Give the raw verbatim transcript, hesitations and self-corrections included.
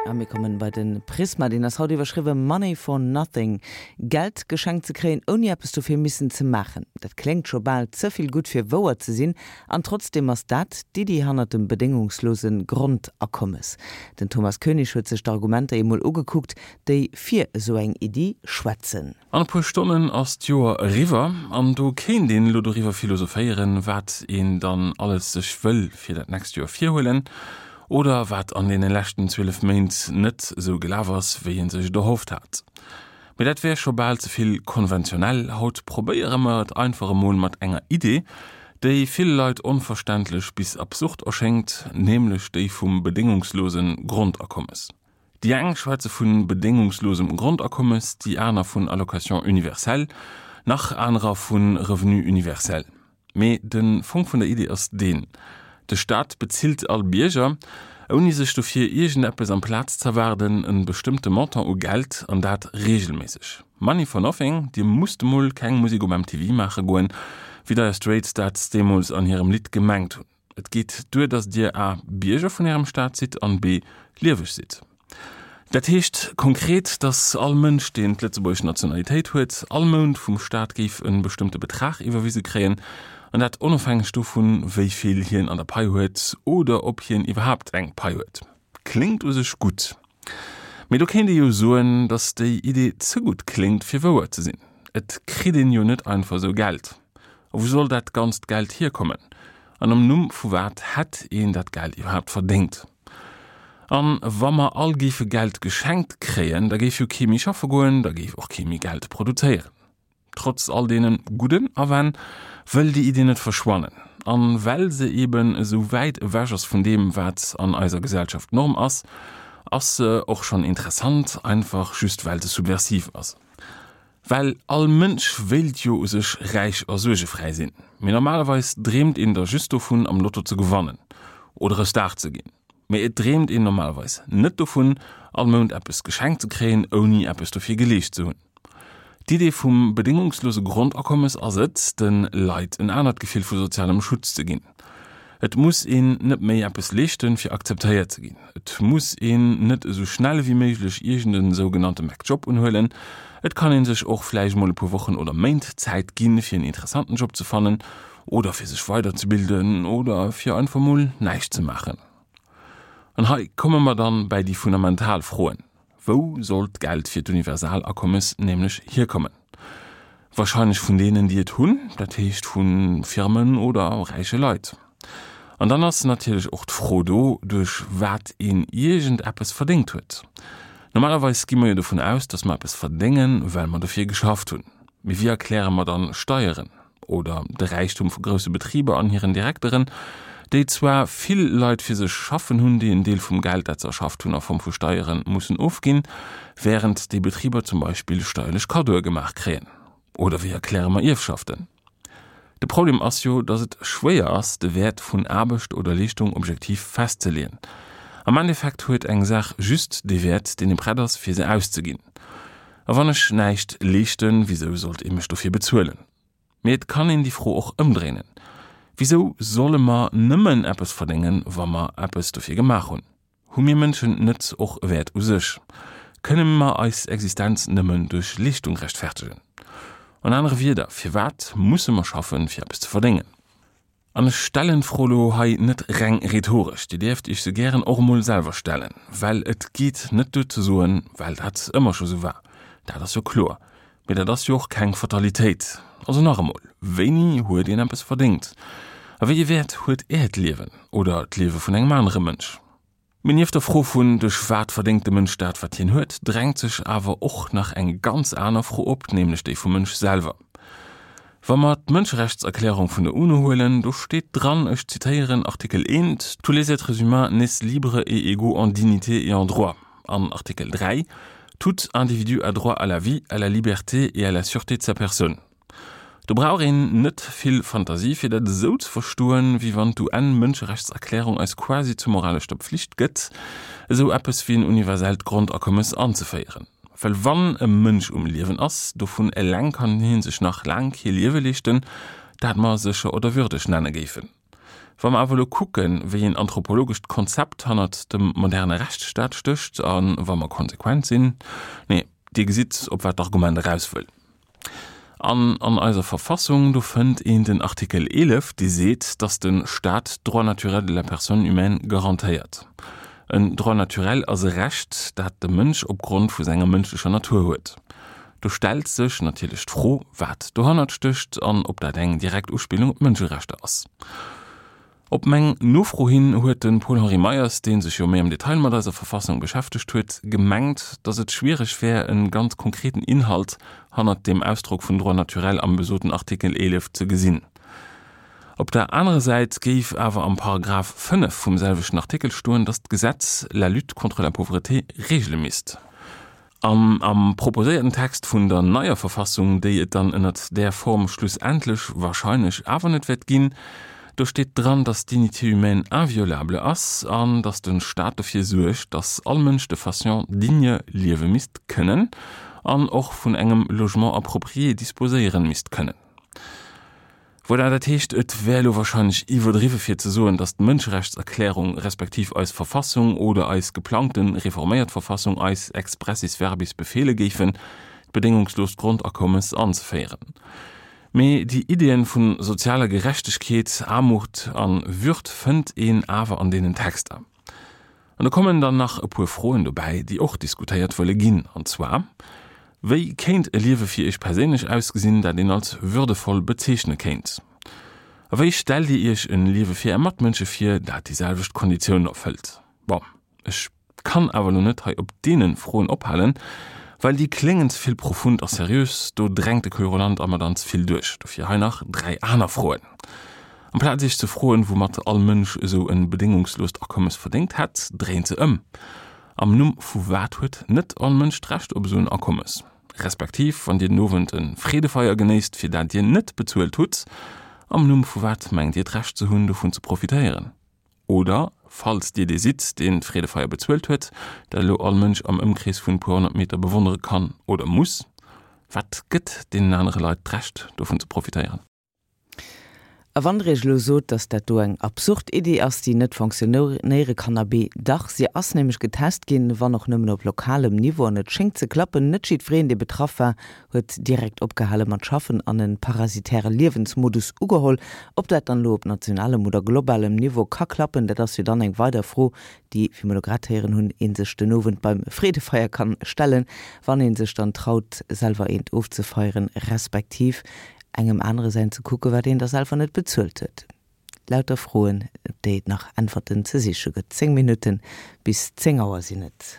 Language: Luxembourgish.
A mir kommen bei den Prisma, deen ass haut iwwerschriwwe Money for Nothing. Geld geschenkt ze kréien, ouni eppes dofir missen ze maachen. Dat kléngt scho bal ze vill gutt fir wouer ze sinn, an trotzdeem ass dat d'Iddi hannert dem bedéngungslose Grondakommes. Den Thomas Koenig huet sech d'Argumenter emol ugekuckt, déi fir esou eng Iddi schwätzen. An e puer Stonnen ass d'Joer eriwwer an do kéint een elo doriwwer philosophéieren, wat een dann alles sech wëll fir dat nächst Joer virhuelen oder wat an deene leschten zwielef Méint net esou gelaf ass, wéi een sech et erhofft hat. Mee dat wär scho bal ze vill konventionell. Haut probéiere mer et einfach emol mat enger Idee, déi ville Leit onverständlech bis absurd erschéngt, nämlech déi vum bedéngungslose Grondakommes. Déi eng schwätze vu bedéngungslosem Grondakommes, déi aner vun Allocation universelle, nach anerer vu Revenu universel. Mee de Fong vun der Idee ass deen, De Staat bezilt all Bierger, ouni sech dofir iergendeppes amplaz z'erwaarden, e bestëmmte Montant u Geld, an dat reegelméisseg. Money for nothing, dir musst emol keng Musek op M T V maache goen, wéi Dire Straits dat deemools an hirem Lidd gemengt hunn. Et geet duer, datt dir A Bierger vun ärem Staat sidd an B lieweg sidd. Dat heescht konkret, datt all Mënsch, deen d'lëtzebuergesch Nationalitéit huet, all Mount vum Staat géif e bestëmmte Betrag iwwerwise kréien, an dat onofhängeg dovun, wéi vill hien an der Pai huet oder ob hien iwwerhaapt eng Pai huet. Kléngt u sech gutt. Mee do kéint ee jo soen, datt déi Idee ze gutt kléngt fir wouer ze sinn. Et kritt een jo net einfach sou Geld. A wou soll dat ganzt Geld hierkommen? An am Numm vu wat hätt een dat Geld iwwerhaapt verdéngt? An wa mer all géife Geld geschenkt kréien, da géif jo kee méi schaffe goen, da géif och kee méi Geld produzéieren. Trotz all deene gudden Awänn wëll déi Idee net verschwannen. An well se eben esou wäit ewech ass vun deem, wat an eiser Gesellschaft Norm ass, ass se och schonn interessant, einfach just well se subversiv ass. Well all Mënsch wéilt jo u sech räich a suergefräi sinn. Mee normalerweis dreemt een da just dovun, am Lotto ze gewannen oder e Star ze ginn. Mee et dreemt een normalerweis net dovun, all Mount eppes geschenkt ze kréien, ouni eppes dofir geleescht ze hunn. D'Idee vum bedéngungslose Grondakommes ass et, de Leit en anert Gefill vu sozialem Schutz ze ginn. Et muss een net méi eppes leeschten, fir akzeptéiert ze ginn. Et muss een net esou schnell wéi méiglech iergend e sougenannte McJob unhuelen. Et kann een sech och vläicht mol e puer Wochen oder Méint Zäit ginn, fir en interessanten Job ze fannen oder fir sech weiderzebilden oder fir einfach mol näischt ze maachen. An hei komme mer dann bei déi fundamental Froen. Wou soll d'Geld fir d'Universalakommes nämlech hierkommen? Warscheinlech vun deenen, déi et hunn, dat heescht vu Firmen oder räiche Leit. An dann ass natierlech och d'Fro do, duerch wat een iergendeppes verdéngt huet. Normalerweis gi mer jo dovun aus, datt mer eppes verdéngen, well mer dofir geschafft hunn. Mee wéi erkläre mer dann Steieren oder de Räichtum vu grousse Betriber an hiren Direkteren, déi zwar vill Leit fir sech schaffen hunn, déi en Deel vum Geld, dat se erschafft hunn, a Form vu Steiere mussen ofginn, wärend déi Betriber zum Beispill steierlech Kaddoe gemaach kréien? Oder wéi erkläre mer Ierfschaften? De Problem ass jo, datt et schwéier ass, de Wäert vun Aarbecht oder Leeschtung objektiv festzeleeën. Am Endeffekt huet eng Saach just dee Wäert, deen ee prett ass, fir se auszeginn. A wann ech näischt leeschten, wisou sollt ee mech dofir bezuelen? Mee et kann een déi Fro och ëmdréinen. Wisou solle mer nëmmen eppes verdéngen, wa mer eppes dofir gemaach hunn? Hu mir Mënschen net och e Wäert u sech? Kënne mer eis Existenz nëmmen duerch Leeschtung rechtfertegen? An anere Wierder, firwat musse mer schaffen, fir eppes ze verdéngen? An ech stellen d'Fro lo hei net reng rhetoresch, Dir däerft Iech se gären och emol selwer stellen, well et geet net duer ze soen, well dat ëmmer scho sou war. Dat ass jo kloer. Mee dat ass jo och keng Fatalitéit. Also nach emol, wéini huet een eppes verdéngt? A wéi ee Wäert huet Äert Liewen oder d'Liewe vun engem anere Mënsch? Mee nieft der Fro vun duerch wat verdéngt de Mënsch dat, wat hien huet, drängt sech awer och nach eng ganz aner Fro op, nämlech déi vum Mënsch selwer. Wa mer d'Mënscherechtserklärung vun der UNO huelen, do steet dran, ech zitéieren Artikel eent, Tous les êtres humains naissent libres et égaux en dignité et en droits. An Artikel dräi, Tout individu a droit à la vie, à la liberté et à la sûreté de sa personne. Do brauch een net vill Fantasie fir dat esou ze verstoen, wéi wann d'UN-Mënscherechtserklärung eis quasi zur moraleschter Pflicht gëtt, esou eppes wéi en universellt Grondakommes anzeféieren. Well wann e Mënsch um Liewen ass, dovun eleng kann hien sech nach laang kee Liewe leeschten, dat mer sécher oder würdeg nenne géifen. Wa mer awer elo kucken, wéi een anthropologescht Konzept hannert dem moderne Rechtsstaat stécht, a wa mer konsequent sinn, nee, Dir gesitt, op wat d'Argument eraus wëll. An an eiser Verfassung, do fënnt een den Artikel eelef, dee seet, datt de Staat d'Droits naturels de la personne humaine garantéiert. En Droit naturel ass e Recht, dat de Mënsch opgrond vu senger mënschlecher Natur huet. Do stellt sech natierlech d'Fro, wat dohannert stécht an ob dat eng direkt Uspillung op d'Mënscherechter ass. Op meng Nofro hin huet de Paul-Henri Meyers, dee sech jo méi am Detail mat eiser Verfassung beschäftegt huet, gemengt, datt et schwiereg wär, e ganz konkreten Inhalt hannert deem Ausdrock vun Droit naturel am besoten Artikel eelef ze gesinn. Op der anerer Säit géif awer am Paragraph fënnef vum selwechten Artikel stoen, datt d'Gesetz la lutte contre la pauvreté regele misst. An am proposéierten Text vun der neier Verfassung, déi et dann ënnert där Form schlussendlech wahrscheinlech awer net wäert ginn, do steet dran, dass d'Dignité humaine inviolable ass an dass de Staat dofir suergt, dass all Mënsch de façon digne liewe misst kënnen an och vun engem Logement approprié disposéieren misst kënnen. Voilà, dat heescht, et wär elo wahrscheinlech iwwerdriwwe fir ze soen, dass d'Mënscherechtserklärung respektiv eis Verfassung oder eis geplangten reforméiert Verfassung eis expressis verbis befeele géifen, d'bedéngungsloost Grondakommes anzeféieren. Mee déi Iddien vu sozialer Gerechtegkeet, Aarmut a Würd fënnt een awer an deenen Texter. An do kommen dann nach e puer Froen dobäi, déi och diskutéiert wëlle ginn, an zwar, Wéi kéint e Liewe fir Iech perséinlech ausgesinn, dat een als würdevoll bezeechne kéint? A wéi stellt Dir Iech e Liewe fir Är Matmënsche vir, dat déi selwecht Konditiounen erfëllt? Bon, ech kann awer elo net hei op deene Froen ophalen, well déi kléngen ze vill profund a seriös, do drängt de Querulant a mer dann ze vill duerch. Dofir hei nach dräi aner Froen. Amplaz Iech ze froen, woumat all Mënsch esou e bedéngungsloost Akommes verdéngt hätt, dréint se ëm, Am Numm vu wat huet net all Mënsch d'Recht op esou en Akommes? Respektiv, wann Dir den Owend e Freedefeier genéisst, fir dat Dir net bezuelt hutt, am Numm vu wat mengt Dir d'Recht ze hunn, dovun ze profitéieren? Oder, falls Dir dee sidd, deen d'Freedefeier bezuelt huet, dat elo all Mënsch am Ëmkrees vun e puer honnert Meter bewonnere kann oder muss, wat gëtt deenen anere Leit d'Recht, dovun ze profitéieren? A wann der iech elo sot, dass dat do eng absurd Iddi ass, déi net fonctionnéiere kann, abee dach, si ass nämlech getest ginn, wann och nëmmen op lokalem Niveau, an et schéngt ze klappen. Net jiddwereen, dee betraff war, huet direkt opgehale mat schaffen an e parasitäre Liewensmodus ugeholl. Ob dat dann elo op nationalem oder globalem Niveau ka klappen, dat ass jo dann eng weider Fro, déi, wéi mer elo grad héieren hunn, ee sech den Owend beim Freedefeier kann stellen, wann ee sech dann traut, selwer eent ofzefeieren, respektiv engem anere säin ze kucke wat een da selwer net bezuelt huet. Lauter Froen, op déi et nach Äntwerten ze siche gëtt. Zéng Minutten bis zéng Auer sinn et.